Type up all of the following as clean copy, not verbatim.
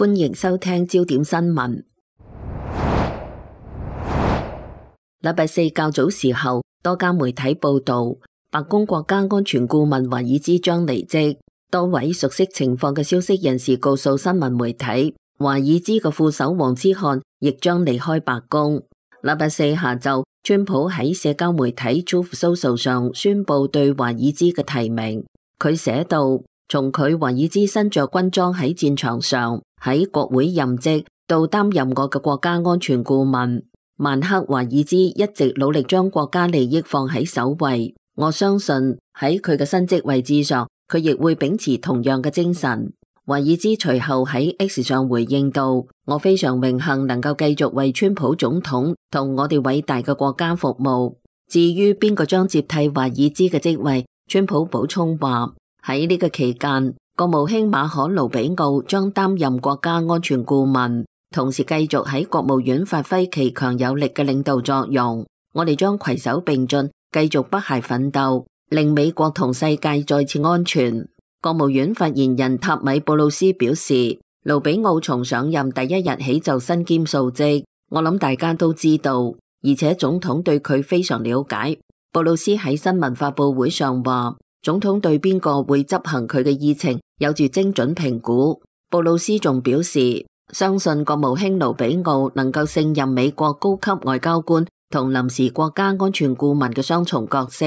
歡迎收聽焦點新聞。禮拜四較早時候，多家媒體報道，白宮國家安全顧問華爾茲將離職。多位熟悉情況嘅消息人士告訴新聞媒體，華爾茲嘅副手黃之漢亦將離開白宮。禮拜四下晝，川普喺社交媒體 Truth Social 上宣布對華爾茲嘅提名。佢寫道，從佢華爾茲身着軍裝喺戰場上，喺國會任職，到擔任我嘅國家安全顧問，曼克華爾茲一直努力將國家利益放喺首位。我相信喺佢嘅新職位置上，佢亦會秉持同樣嘅精神。華爾茲隨後喺 X 上回應道，我非常榮幸能夠繼續為川普總統同我哋偉大嘅國家服務。至於邊個將接替華爾茲嘅職位，川普補充話，喺呢個期間，國務卿馬可盧比奧將擔任國家安全顧問，同時繼續喺國務院發揮其強有力嘅領導作用。我哋將攜手並進，繼續不懈奮鬥，令美國同世界再次安全。國務院發言人塔米布魯斯表示，盧比奧從上任第一日起就身兼數職，我諗大家都知道，而且總統對佢非常了解。布魯斯喺新聞發佈會上話，總統對邊個會執行佢嘅議程有住精準評估。布魯斯仲表示，相信國務卿盧比奧能夠勝任美國高級外交官同臨時國家安全顧問嘅雙重角色。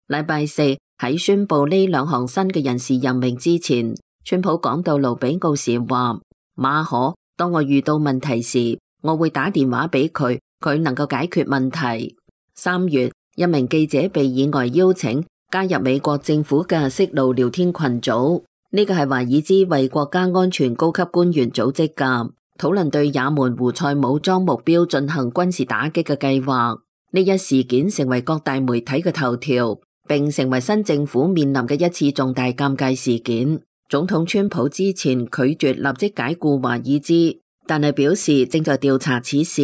禮拜四喺宣布呢兩項新嘅人事任命之前，川普講到盧比奧時話，馬可，當我遇到問題時，我會打電話俾佢，佢能夠解決問題。3月，一名記者被意外邀請加入美國政府嘅息怒聊天群組，呢個係華爾茲為國家安全高級官員組織嘅，討論對也門胡塞武裝目標進行軍事打擊嘅計劃。呢一事件成為各大媒體嘅頭條，並成為新政府面臨嘅一次重大尷尬事件。總統川普之前拒絕立即解僱華爾茲，但係表示正在調查此事，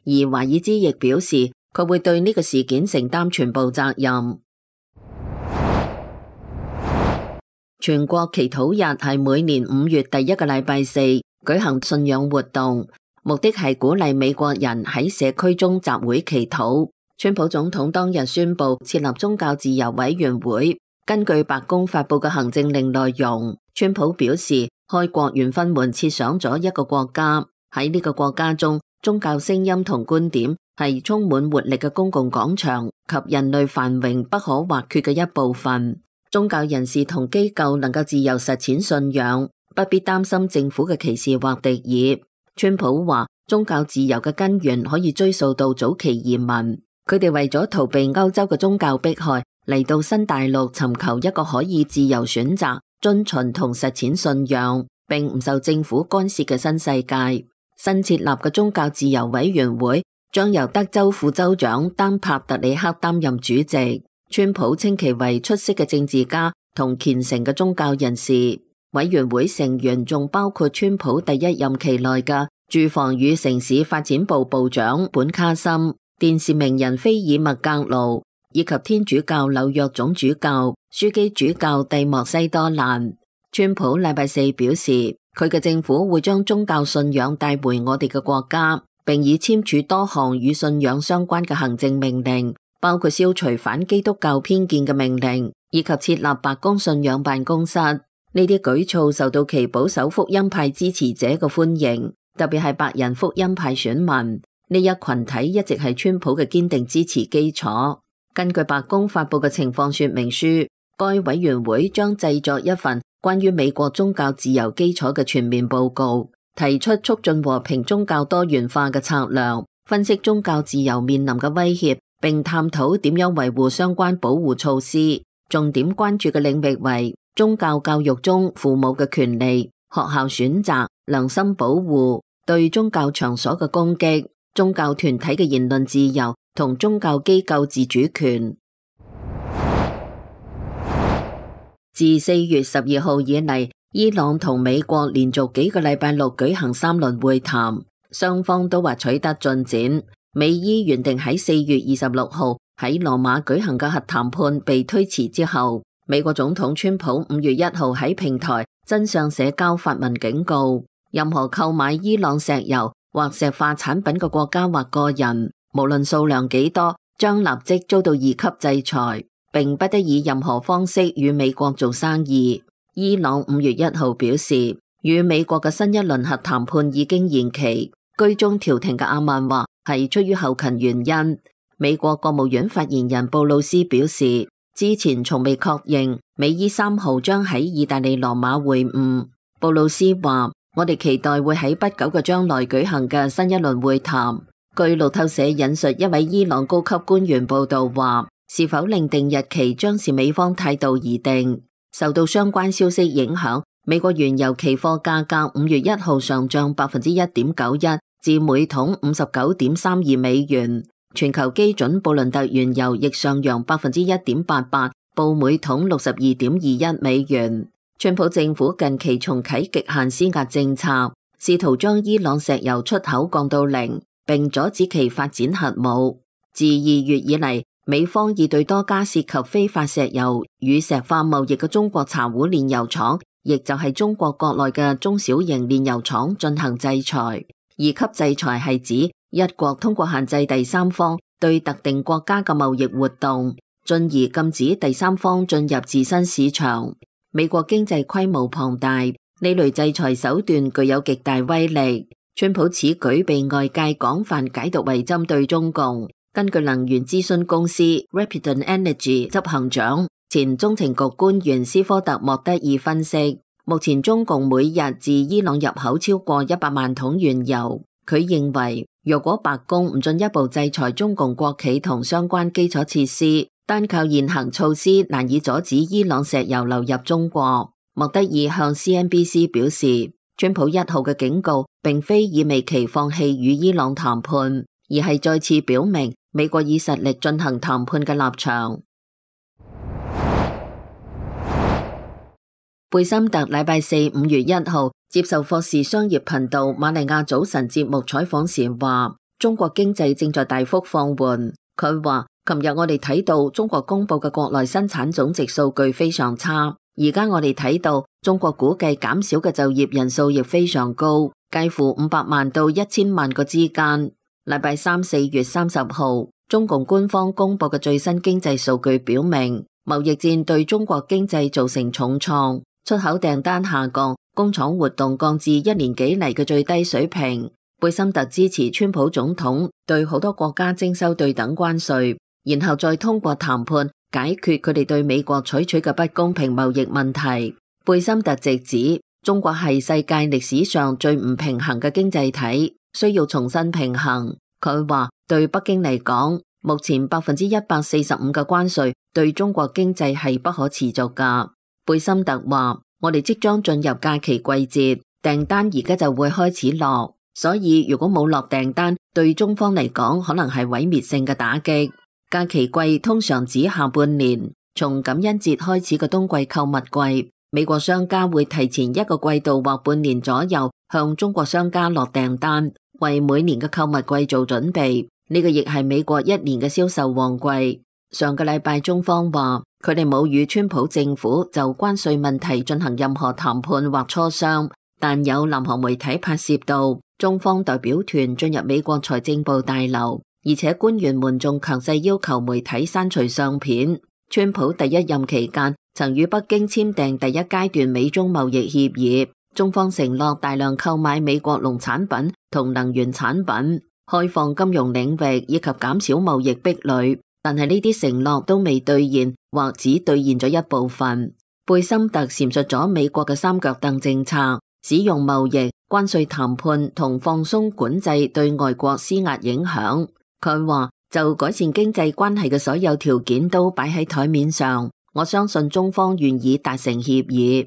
而華爾茲亦表示佢會對呢個事件承擔全部責任。全國祈禱日係每年5月第一個禮拜四舉行信仰活動，目的係鼓勵美國人喺社區中集會祈禱。川普總統當日宣布設立宗教自由委員會。根據白宮發佈嘅行政令內容，川普表示，開國元勳們設想咗一個國家，喺呢個國家中，宗教聲音同觀點係充滿活力嘅公共廣場及人類繁榮不可或缺嘅一部分。宗教人士同機構能夠自由實踐信仰，不必擔心政府嘅歧視或敵意。川普話，宗教自由嘅根源可以追溯到早期移民，佢哋為咗逃避歐洲嘅宗教迫害，嚟到新大陸尋求一個可以自由選擇、遵循同實踐信仰，並唔受政府干涉嘅新世界。新設立嘅宗教自由委員會將由德州副州長丹帕特里克擔任主席。川普稱其為出色嘅政治家同虔誠嘅宗教人士。委員會成員仲包括川普第一任期內嘅住房與城市發展部部長本卡森、電視名人菲爾麥格盧，以及天主教紐約總主教樞機主教蒂莫西多蘭。川普禮拜四表示，佢嘅政府會將宗教信仰帶回我哋嘅國家，並已簽署多項與信仰相關嘅行政命令，包括消除反基督教偏見嘅命令，以及設立白宮信仰辦公室。呢啲舉措受到其保守福音派支持者嘅歡迎，特別係白人福音派選民。呢一群體一直係川普嘅堅定支持基礎。根據白宮發佈嘅情況說明書，該委員會將製作一份關於美國宗教自由基礎嘅全面報告，提出促進和平宗教多元化嘅策略，分析宗教自由面臨嘅威脅，並探討點樣維護相關保護措施。重點關注嘅領域為宗教教育中父母嘅權利、學校選擇、良心保護、對宗教場所嘅攻擊、宗教團體嘅言論自由同宗教機構自主權。自4月12號以嚟，伊朗同美國連續幾個禮拜六舉行3輪會談，雙方都話取得進展。美伊原定喺4月26號喺羅馬舉行嘅核談判被推遲之後，美國總統川普5月1號喺平台真相社交發文警告，任何購買伊朗石油或石化產品嘅國家或個人，無論數量幾多，將立即遭到2級制裁，並不得以任何方式與美國做生意。伊朗5月1號表示，與美國嘅新一輪核談判已經延期。居中調停嘅阿曼話係出於後勤原因。美國國務院發言人布魯斯表示，之前從未確認美伊3號將喺意大利羅馬會晤。布魯斯話：我哋期待會喺不久嘅將來舉行嘅新一輪會談。據路透社引述一位伊朗高級官員報道話，是否另定日期將視美方態度而定。受到相關消息影響，美國原油期貨價格5月1號上漲1.91%至每桶59.32美元。全球基準布倫特原油亦上揚1.88%，報每桶62.21美元。川普政府近期重啟極限施壓政策，試圖將伊朗石油出口降到0，並阻止其發展核武。自2月以嚟，美方已對多家涉及非法石油與石化貿易嘅中國茶壺煉油廠，亦就係中國國內嘅中小型煉油廠進行制裁。2級制裁係指一國通過限制第三方對特定國家嘅貿易活動，進而禁止第三方進入自身市場。美國經濟規模龐大，呢類制裁手段具有極大威力。川普此舉被外界廣泛解讀為針對中共。根據能源諮詢公司 Rapidon Energy 執行長、前中情局官員斯科特莫德爾分析，目前中共每日自伊朗入口超過100萬桶原油。佢認為，若果白宮唔進一步制裁中共國企同相關基礎設施，單靠現行措施難以阻止伊朗石油流入中國。莫德爾向 CNBC 表示，川普1號嘅警告並非意味其放棄與伊朗談判，而係再次表明美國以實力進行談判嘅立場。貝森特禮拜四5月1號接受霍士商業頻道瑪利亞早晨節目採訪時話，中國經濟正在大幅放緩。佢話，琴日我哋睇到中國公布嘅國內生產總值數據非常差，而家我哋睇到中國估計減少嘅就業人數亦非常高，介乎500萬到1000萬個之間。禮拜三4月30號，中共官方公布嘅最新經濟數據表明，貿易戰對中國經濟造成重創。出口訂單下降，工廠活動降至1年幾嚟嘅最低水平。貝森特支持川普總統對好多國家徵收對等關稅，然後再通過談判解決佢哋對美國採取嘅不公平貿易問題。貝森特直指中國係世界歷史上最唔平衡嘅經濟體，需要重新平衡。佢話對北京嚟講，目前145%嘅關稅對中國經濟係不可持續㗎。貝森特話：我哋即將進入假期季節，訂單而家就會開始落，所以如果冇落訂單，對中方嚟講可能係毀滅性嘅打擊。假期季通常指下半年，從感恩節開始嘅冬季購物季，美國商家會提前1個季度或半年左右向中國商家落訂單，為每年嘅購物季做準備。呢個亦係美國1年嘅銷售旺季。上個禮拜中方話，佢哋冇與川普政府就關稅問題進行任何談判或磋商，但有南韓媒體拍攝到中方代表團進入美國財政部大樓，而且官員們仲強勢要求媒體刪除相片。川普第1任期間曾與北京簽訂第1階段美中貿易協議，中方承諾大量購買美國農產品同能源產品，開放金融領域以及減少貿易壁壘。但係呢啲承諾都未兌現，或只兌現咗一部分。貝森特闡述咗美國嘅3腳凳政策，使用貿易、關稅談判同放鬆管制對外國施壓影響。佢話就改善經濟關係嘅所有條件都擺喺台面上，我相信中方願意達成協議。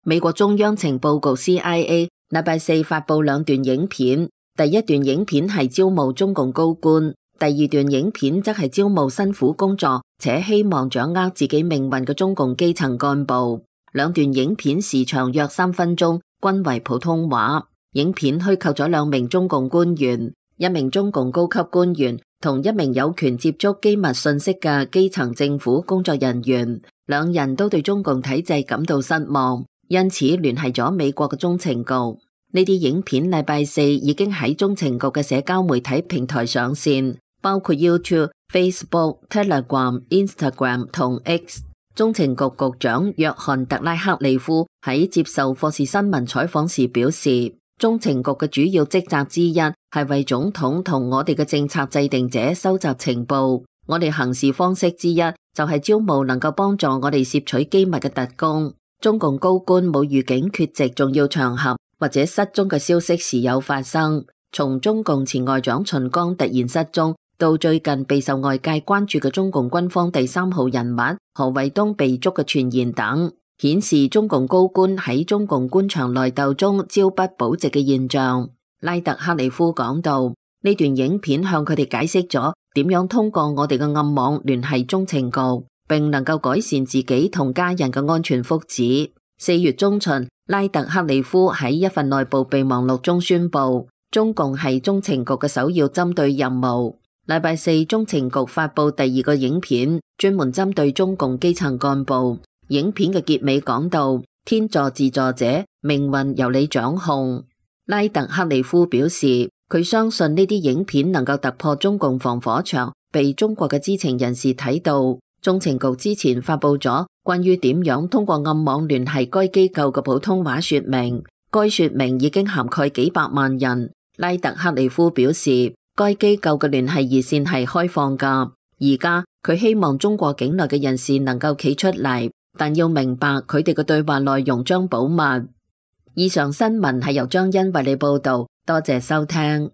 美國中央情報局 CIA 禮拜四發佈2段影片。第1段影片係招募中共高官，第2段影片則係招募辛苦工作且希望掌握自己命運嘅中共基層幹部。2段影片時長約3分鐘，均為普通話。影片虛構咗2名中共官員，一名中共高級官員同一名有權接觸機密信息嘅基層政府工作人員，2人都對中共體制感到失望，因此聯繫咗美國嘅中情局。呢啲影片禮拜四已經喺中情局嘅社交媒體平台上線，包括 YouTube、Facebook、Telegram、Instagram 同 X。中情局局長約翰特拉克利夫喺接受霍士新聞採訪時表示，中情局嘅主要職責之一係為總統同我哋嘅政策制定者收集情報。我哋行事方式之一就係招募能夠幫助我哋攝取機密嘅特工。中共高官冇預警缺席重要場合或者失蹤嘅消息時有發生，從中共前外長秦剛突然失蹤，到最近備受外界關注嘅中共軍方第3號人物何衛東被捉嘅傳言等，顯示中共高官喺中共官場內鬥中朝不保夕嘅現象。拉特克里夫講到，呢段影片向佢哋解釋咗點樣通過我哋嘅暗網聯繫中情局，並能夠改善自己同家人嘅安全福祉。4月中旬，拉特克里夫喺一份內部備忘錄中宣布，中共係中情局嘅首要針對任務。禮拜四，中情局發佈第2個影片，專門針對中共基層幹部。影片嘅結尾講到，天助自助者，命運由你掌控。拉特克里夫表示，佢相信呢啲影片能夠突破中共防火牆，被中國嘅知情人士睇到。中情局之前發佈咗關於點樣通過暗網聯繫該機構嘅普通話說明，該說明已經涵蓋幾百萬人。拉特克里夫表示，該機構嘅聯繫熱線係開放㗎，而家佢希望中國境內嘅人士能夠企出嚟，但要明白佢哋嘅對話內容將保密。以上新聞係由張欣為你報道，多謝收聽。